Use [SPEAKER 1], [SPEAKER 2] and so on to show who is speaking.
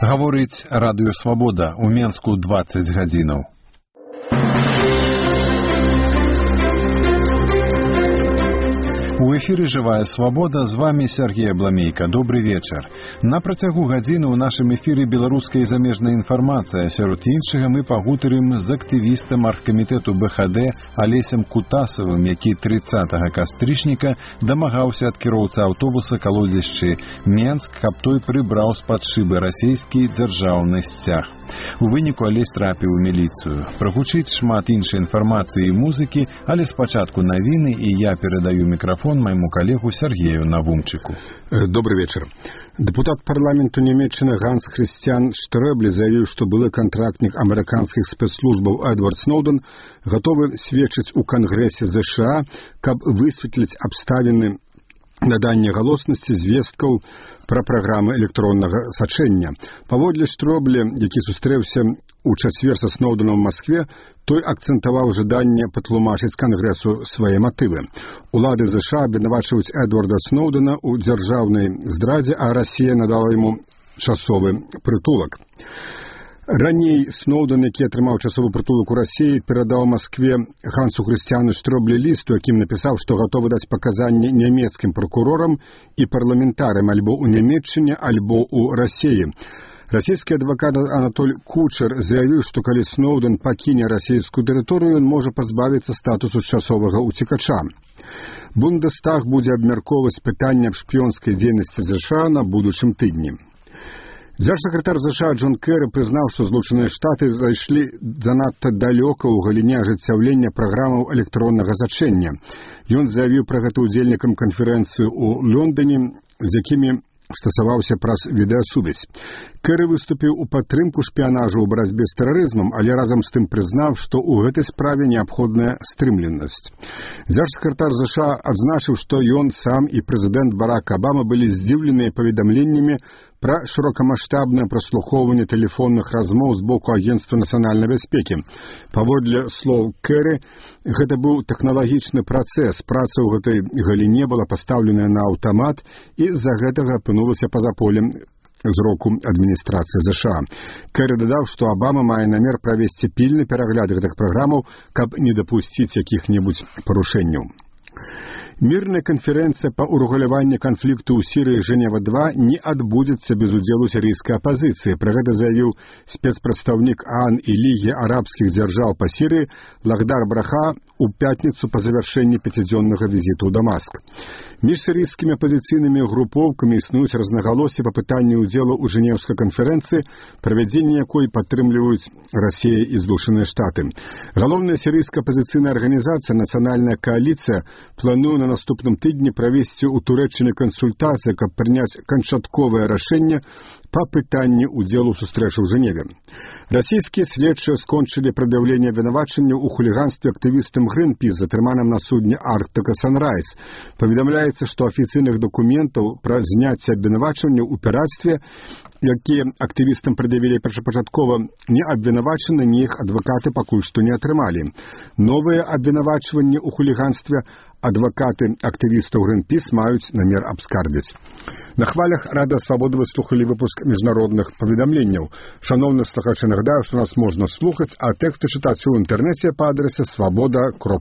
[SPEAKER 1] Гаворыць радыё «Свабода» у Менску 20 гадзінаў. У эфіры «Жывая свабода», з вами Сергей Абламейка. Добрый вечар. На працягу гадзіны ў нашым эфіры беларуская і замежная інфармацыя. Сярод іншага мы пагутарым з актывістам аргкамітэту БХД Алесем Кутасавым, які 30 кастрычніка дамагаўся ад кіроўцы аўтобуса калодзішчы Менск, каб той прыбраў з-пад шыбы расійскі дзяржаўны сцяг. У выніку Алесь трапіў у міліцыю. Прагучыць шмат іншай інфармацыі і музыкі, але спачатку навіны, і я перадаю мікрафон моему коллегу Сергею Навумчику.
[SPEAKER 2] Добрый вечер. Депутат парламенту Нямецчыны Ганс Христиан Штрёбле заявил, что былы контрактник американских спецслужбаў Эдвард Сноуден готовы сведчыць у Конгрессе США, каб высветліць абставіны надання галоснасці звесткаў пра праграмы электроннага сачэння. Паводле Штрёбле, які сустрэўся у чацвер са Сноуденом в Москве, той акцентаваў жаданне патлумачыць Кангрэсу свае матывы. Улады США абвінавачваюць Эдварда Сноудена ў дзяржаўнай здрадзе, а Расія надала яму часовы прытулак. Раней Сноуден, які атрымаў часовы прытулак у Расіі, перадаў Маскве Гансу Хрысціяну Штрёбле ліст, у якім напісаў, што гатовы даць паказанні нямецкім пракурорам і парламентарам альбо ў Нямецчыне, альбо ў Расіі. Расійскі адвакат Анатоль Кучер заявіў, што калі Сноуден пакіне расійскую тэрыторыю, ён можа пазбавіцца статусу часовага уцекача. Бундестаг будзе абмяркоўваць пытанне аб шпіёнскай дзейнасці США на будучым тыдні. Дзяржсакратар США Джон Керры прызнаў, што Злучаныя Штаты зайшлі занадта далёка ў галіне ажыццяўлення праграмаў электроннага сачэння. Ён заявіў пра гэта ўдзельнікам канферэнцыі ў Лондоне, з якімі стасаваўся праз відэасувязь. Керры выступіў у падтрымку шпіянажу ў барацьбе з тэрарызмам, але разам з тым прызнаў, што ў гэтай справе неабходная стрымленасць. Дзяржсакратар США адзначыў, што ён сам і прэзідэнт Барак Абама былі здзіўленыя паведамленнямі пра шырокамаштабнае праслухоўванне тэлефонных размоў з боку Агентства нацыянальнай бяспекі. Паводле слоў Керры, гэта быў тэхналагічны працэс, праца ў гэтай галіне была пастаўленая на аўтамат і з-за гэтага апынулася па-за полем зроку адміністрацыі США. Керры дадаў, што Абама мае намер правесці пільны перагляд гэтых праграмаў, каб не дапусціць якіх-небудзь парушэнняў. Мірная канферэнцыя па ўрэгуляванні канфлікту ў Сірыі Жэнева-2 не адбудзецца без удзелу сірыйскай апазіцыі. Пра гэта заявіў спецпрадстаўнік ААН і Лігі арабскіх дзяржаў па Сірыі Лахдар Браха у пятніцу па завяршэнні 5-дзённага візіту ў Дамаск. Між сірыйскімі апазіцыйнымі групоўкамі існуюць рознагалоссі па пытанні ўдзелу ў Жэнеўскай канферэнцыі, правядзенне якой падтрымліваюць Расія і Злучаныя Штаты. Галоўная сірыйская апазіцыйная арганізацыя «Нацыянальная кааліцыя» плануе на наступным тыдні правесці ў Турэччыне кансультацыі, каб прыняць канчатковае рашэнне па пытанні ўдзелу ў сустрэчы ў Жэневе. Расійскія следчыя скончылі прад'яўленне абвінавачання ў хуліганстве актывістам Гринпіс, затрыманым на судне Арктика Санрайз. Паведамляецца, што афіцыйных дакументаў пра зняцце абвінавачання ў пірацтве, якія актывістам прад'явілі першапачаткова, не абвінавачаны, ні іх адвакаты пакуль што не атрымалі. Новыя абвінавачванні ў хуліганстве адвакаты актывістаў Гринпіс маюць намер абскардзіць. На хвалях Радыё Свабода вы слухалі выпуск міжнародных паведамленняў. Шановны слухачы, нагадаю, што нас можна слухаць, а тэксты чытаць у інтэрнэце па адрасе swaboda.ru.